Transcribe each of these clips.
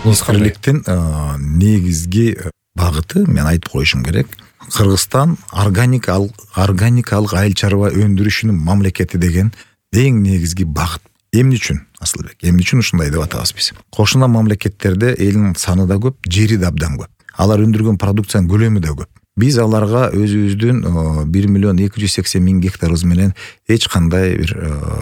искирликтин негизги багыты мен айтып коюшум керек. Кыргызстан органикалык айыл чарба өндүрүшүнүн мамлекети деген эң негизги багыт. Эмне үчүн Асылбек? Эмне үчүн ушундай деп атабыз биз? Кошуна мамлекеттерде элдин саны да көп, жери да абдан көп. Алар өндүргөн продукциянын көлөмү да көп. Биз аларга өзүбүздүн 1.280.000 гектарыбыз менен эч кандай бир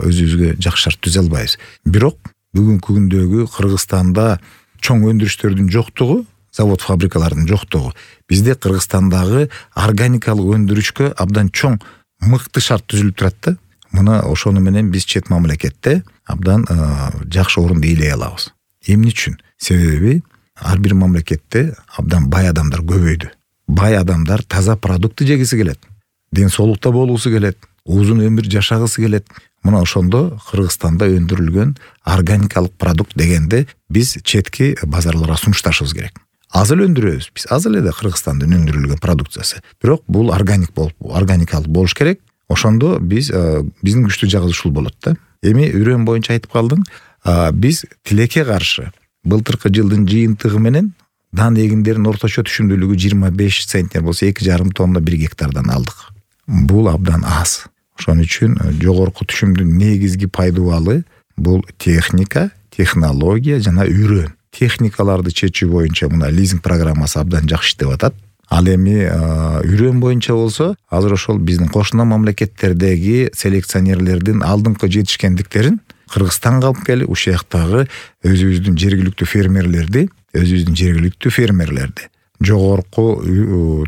өзүбүзгө жакшы шарт түзө албайбыз. Бирок бүгүнкү күндөгү Кыргызстанда чоң өндүрүштөрдүн жоктугу, завод фабрикалардын жоктугу бизде Кыргызстандагы органикалык өндүрүшкө абдан чоң мыкты шарт түзүлүп турат да. Мына ошону менен биз чет мамлекетте абдан жакшы орунду ээлей алабыз. Эмне үчүн? Себеби ар бир мамлекетте абдан бай адамдар көбөйдү. Бай адамдар таза продукты жегиси келет. Ден соолукта болуусу келет. Узун өмүр жашагысы келет. Мына ошондо Кыргызстанда өндүрүлгөн органикалык продукт дегенде биз четки базарларга сунушташыбыз керек. Аз эле өндүрөбүз. Биз аз эле да Кыргызстандын өндүрүлгөн продукциясы. Бирок бул органикалык болуш керек. Ошондо биздин күчтүү жагыбыз ушул болот да. Эми үрөн боюнча айтып калдың. Биз тилекке каршы былтыркы жылдын жыйынтыгы менен дан эгиндеринин орточо түшүмдүүлүгү 25 центнер болсо 2,5 тонна 1 гектардан алдык. Бул абдан аз. Ошон үчүн жогорку түшүмдүн негизги пайдубалы бул техника, технология жана үрөн. Техникаларды чечүү боюнча мына лизинг программасы абдан жакшы иштеп атат. Ал эми үрөн боюнча болсо азыр ошол биздин кошуна мамлекеттердеги селекционерлердин алдыңкы жетишкендиктерин Кыргызстанга алып келип, ушул жактагы өзүбүздүн жергиликтүү фермерлерди жогорку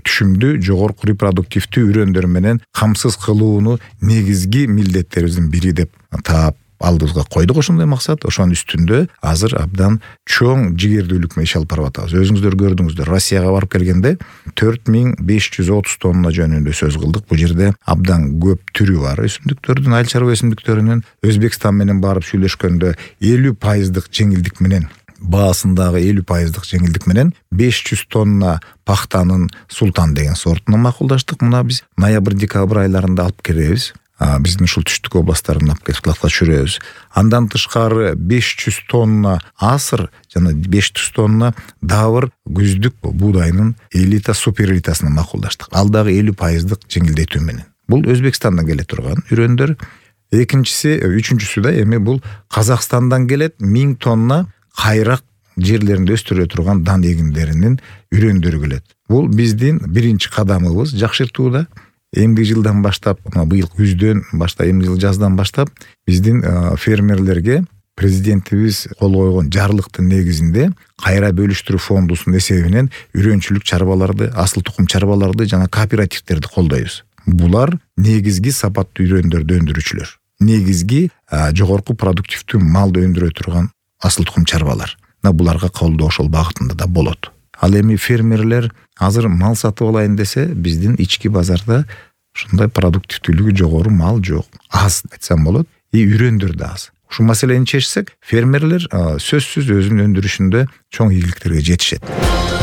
түшүмдүү, жогорку репродуктивдүү үрөндөр менен камсыз кылууну негизги милдеттерибиздин бири деп таап алдыбызга койдук ошондой максат. Ошонун үстүндө азыр абдан чоң жигердүүлүк менен иш алып барып атабыз. Өзүңүздөр көрдүңүздөр, Россияга барып келгенде 4530 тонна жөнүндө сөз кылдык. Бул жерде абдан көп түрү бар өсүмдүктөрдүн, айыл чарба өсүмдүктөрүнүн. Өзбекстан менен барып сүйлөшкөндө 50% жеңилдик менен, баасындагы 50% жеңилдик менен 500 тонна пахтанын Султан деген сортуна макулдаштык. Мына биз ноябрь-декабрь айларында алып келебиз. Биздин ушул түштүк областтарына алып келип складка түшүрөбүз. Андан тышкары 500 тонна асыр жана 500 тонна дабыр күздүк буудайнын элита, супер элитасына макулдаштык. Ал дагы 50% жеңилдетүү менен. Бул Өзбекстандан келе турган үрөндөр. Үчүнчүсү да эми бул Казакстандан келет 1000 тонна кайрак жерлеринде өстүрө турган дан эгиндеринин үрөндөрү келет. Бул биздин биринчи кадамыбыз жакшыртууда. Эмди жылдан баштап, быйыл күздөн баштап, эмди жыл жаздан баштап биздин фермерлерге президентибиз кол койгон жарлыктын негизинде кайра бөлүштүрүү фондусунун эсебинен үрөнчүлүк чарбаларды, асыл тукум чарбаларды жана кооперативдерди колдойбуз. Булар негизги сапаттуу үрөндөрдү өндүрүүчүлөр. Негизги жогорку продуктивдүү малды өндүрө турган асыл тукум чарбалар. Буларга колдоо ошол багытында да болот. Ал эми фермерлер азыр мал сатып алайын десе, биздин ички базарда ушундай продуктивдүүлүгү жогору мал жок. Аз айтсам болот. Үрөндөр да аз. Ушул маселени чечсек, фермерлер сөзсүз өзүнүн өндүрүшүндө чоң ийгиликтерге жетишет.